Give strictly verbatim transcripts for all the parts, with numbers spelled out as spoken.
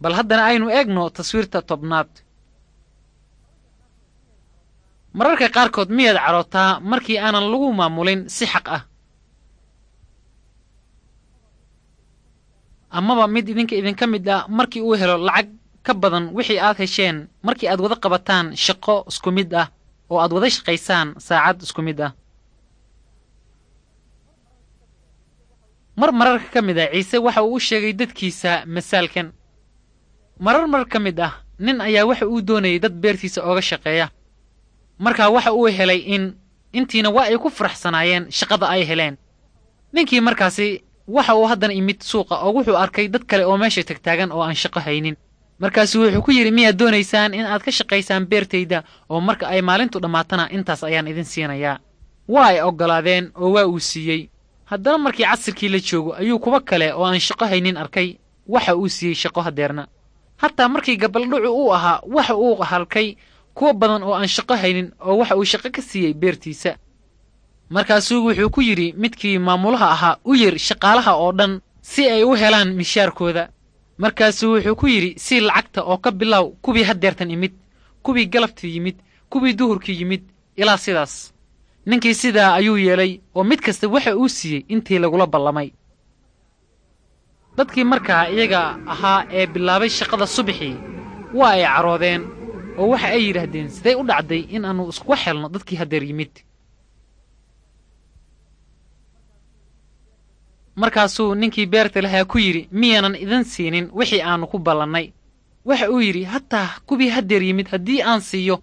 Bal haddana aynu eegno taswiirta tobnaad. Mararka qaarkood miyaad carootaa markii aanan lagu maamulin si xaq ah? Amaba mid idinka idinka mid ah markii uu helo lacag ka badan wixii aad hesheen markii aad wada qabataan shaqo isku mid ah oo aad wada shaqaysaan saacad isku mid ah. Mar mararka ka mid ah Ciise waxa uu u sheegay dadkiisa masaalkan. Marar mar ka mid ah nin ayaa waxa uu doonayay dad beertiisa ooga shaqeeya. Markaa waxa uu helay in intiina waa ay ku faraxsanaayeen shaqada ay heleen. Ninkii markaasi waxa uu haddana imid suuqa oo wuxuu arkay dad kale oo meesha tagtaagan oo aan shaqo haynin. Markaasuu wuxuu ku yidhi, miyaad doonaysaan in aad ka shaqaysaan beertayda oo marka ay maalintu dhammaatana intaas ayaan idin siinayaa? Waa ay oggolaadeen oo waa uu siiyey. Haddana markii casirkii la joogo ayuu kuwa kale oo aan shaqo haynin arkay, waxa uu siiyey shaqo haddeerna. Hataa markii gabaldhucu uu ahaa waxa uu halkay kuwa badan oo aan shaqo haynin oo waxa uu shaqo ka siiyey beertiisa. Markaasuu wuxuu ku yidhi midkii maamulaha ahaa, u yir shaqaalaha oo dhan si ay u helaan mishaarkooda. Markaasuu wuxuu ku yidhi, sii lacagta oo ka bilow kuwii haddeertan imid, kuwii galabtii yimid, kuwii duhurkii yimid, ilaa sidaas. Ninkii sidaa ayuu yeelay oo mid kasta waxa uu siiyey intii lagula ballamay. Dadkii markaa iyaga ahaa ee bilaabay shaqada subaxii waa ay caroodeen oo waxa ay yidhaahdeen, siday u dhacday in aannu iskuga xelno dadkii haddeer yimid? Markaasuu ninkii beerta lahaa ku yidhi, miyaanan idin siinin wixii aannu ku ballannay? Waxa uu yidhi, hataa kuwii haddeer yimid haddii aan siiyo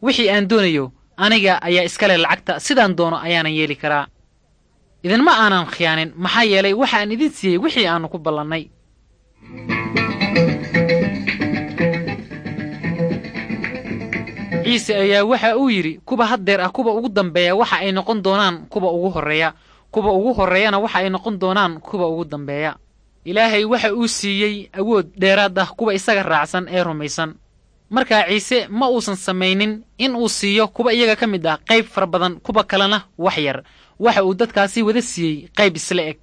wixii aan doonayo, aniga ayaa iska leh lacagta, sidaan doono ayaanan yeeli karaa. Idinma aanan khiyaanin, maxaa yeelay waxaan idin siiyey wixii aannu ku ballannay. Ciise ayaa waxa uu yidhi, kuwa haddeer ah kuwa ugu dambeeya waxa ay noqon doonaan kuwa ugu horreeya, kuwa ugu horreeyana waxa ay noqon doonaan kuwa ugu dambeeya. Ilaahay waxa uu siiyey awood dheeraad ah kuwa isaga raacsan ee rumaysan. Markaa Ciise ma uusan samaynin in uu siiyo kuwa iyaga ka mid ah qayb fara badan, kuwa kalena wax yar. Waxa uu dadkaasi wada siiyey qayb isla eg.